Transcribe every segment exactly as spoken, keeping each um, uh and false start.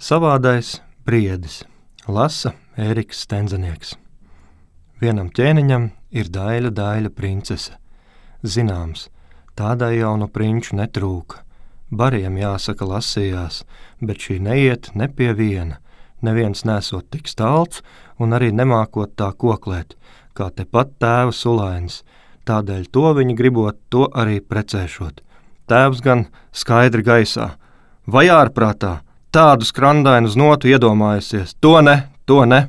Savādais briedis. Lasa Ēriks Stenzenieks. Vienam ķēniņam ir daļa daļa princese. Zināms, tādai jau no prinču netrūka. Bariem jāsaka lasījās, bet šī neiet ne pie viena. Neviens nesot tik stalts un arī nemākot tā koklēt, kā tepat tēva Sulainis. Tādēļ to viņi gribot, to arī precēšot. Tēvs gan skaidri gaisā. Vai ārprātā, tādu skrandainu uz notu iedomājusies? To ne, to ne.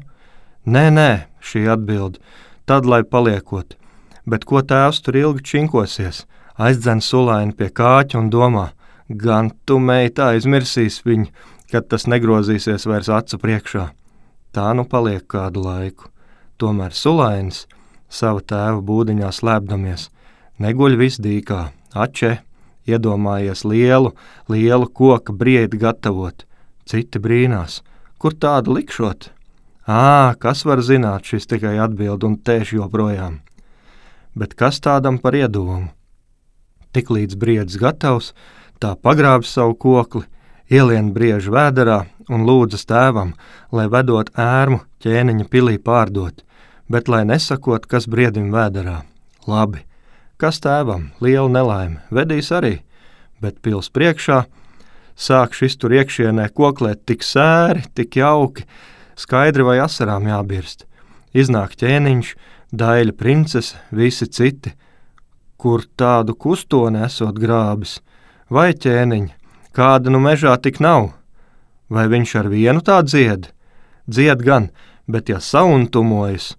Nē, nē, šī atbild, tad lai paliekot. Bet ko tēvs tur ilgi činkosies? Aizdzen Sulaini pie kāķa un domā, gan tu, meita, aizmirsīs viņu, kad tas negrozīsies vairs acu priekšā. Tā nu paliek kādu laiku. Tomēr Sulainis, sava tēva būdiņā slēpdamies, neguļ visdīkā, ače, iedomājies lielu, lielu koka briedi gatavot. Citi brīnās, kur tādu likšot? Ā, kas var zināt, šis tikai atbild un tēš joprojām. Bet kas tādam par iedomu? Tiklīdz briedis gatavs, tā pagrāb savu kokli, ielien briežu vēderā un lūdzas tēvam, lai vedot ērmu ķēniņa pilī pārdot, bet lai nesakot, kas briedim vēderā. Labi, kas tēvam, liela nelaime, vedīs arī, bet pils priekšā sāk šis tur iekšienē koklēt tik sēri, tik jauki, skaidri vai asarām jābirst. Iznāk ķēniņš, daļa princese, visi citi, kur tādu kustoni esot grābis. Vai ķēniņ, kāda nu mežā tik nav? Vai viņš ar vienu tā dzied? Dzied gan, bet ja sauntumojas,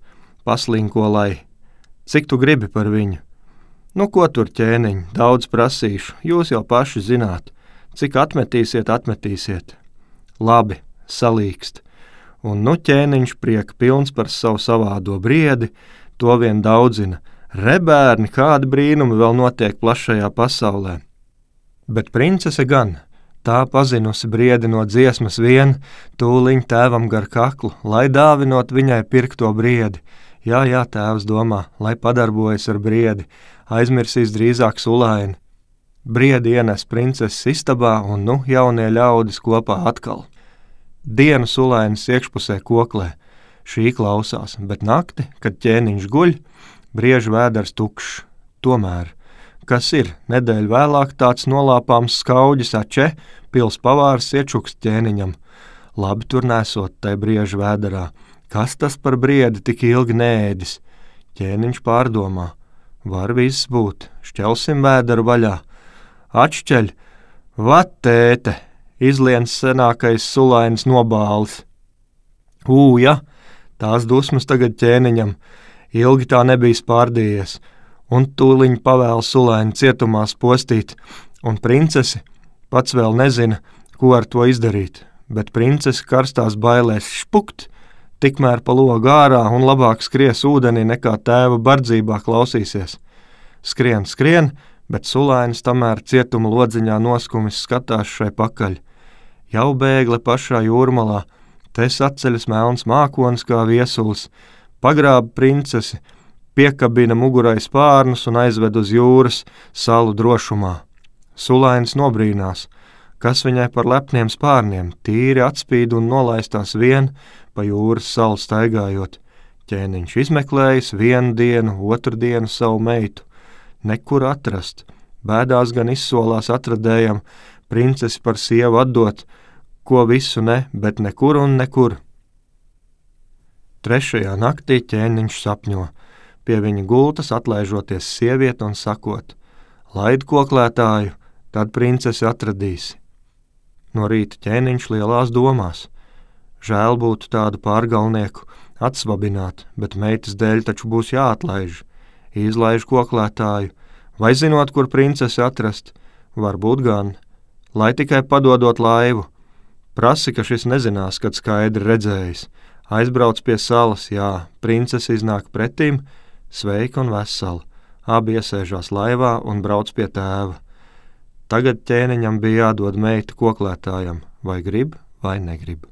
paslinko lai. Cik tu gribi par viņu? Nu, ko tur ķēniņ, daudz prasīšu, jūs jau paši zināt. Cik atmetīsiet, atmetīsiet. Labi, salīkst. Un nu ķēniņš prieka pilns par savu savādo briedi, to vien daudzina. Rebērni, kādi brīnumi vēl notiek plašajā pasaulē. Bet princese gan, tā pazinusi briedi no dziesmas vien, tūliņ tēvam gar kaklu, lai dāvinot viņai pirkto briedi. Jā, jā, tēvs domā, lai padarbojas ar briedi, aizmirsīs drīzāk Sulaini. Briedi ienes princeses istabā un nu jaunie ļaudis kopā atkal. Dienu Sulainis iekšpusē koklē, šī klausās, bet nakti, kad ķēniņš guļ, briežu vēders tukšs. Tomēr, kas ir, nedēļu vēlāk tāds nolāpāms skauģis ače, pils pavārs iečuks ķēniņam. Labi tur nesot tai briežu vēderā, kas tas par briedi tik ilgi neēdis? Ķēniņš pārdomā, var viss būt, šķelsim vēderu vaļā. Atšķeļ, vat tēte, izliens senākais Sulainis nobālis. Ū, ja, tās dusmas tagad ķēniņam, ilgi tā nebija spārdījies, un tūliņ pavēl Sulaini cietumā postīt, un princesi pats vēl nezina, ko ar to izdarīt, bet princesi karstās bailēs špukt, tikmēr pa logu ārā un labāk skries ūdenī nekā tēva bardzībā klausīsies. Skrien, skrien, bet Sulainis tamēr cietuma lodziņā noskumis skatās šai pakaļ. Jau bēgle pašā jūrmalā, te saceļas melns mākonis kā viesulis, pagrāba princesi, piekabina mugurai spārnus un aizved uz jūras salu drošumā. Sulainis nobrīnās, kas viņai par lepniem spārniem, tīri atspīd un nolaistās vien pa jūras salu staigājot. Ķēniņš izmeklējis vienu dienu, otru dienu savu meitu. Nekur atrast, bēdās gan izsolās atradējam, princesi par sievu atdot, ko visu ne, bet nekur un nekur. Trešajā naktī ķēniņš sapņo, pie viņa gultas atlaižoties sievieti un sakot, laid koklētāju, tad princesi atradīsi. No rīta ķēniņš lielās domās, žēl būtu tādu pārgalnieku atsvabināt, bet meitas dēļ taču būs jāatlaiž. Izlaiž koklētāju, vai zinot, kur princesi atrast, varbūt gan, lai tikai padodot laivu. Prasi, ka šis nezinās, kad skaidri redzējis. Aizbrauc pie salas, jā, princesi iznāk pretīm, sveika un vesela. Abi iesēžās laivā un brauc pie tēva. Tagad ķēniņam bija jādod meita koklētājam, vai grib, vai negrib.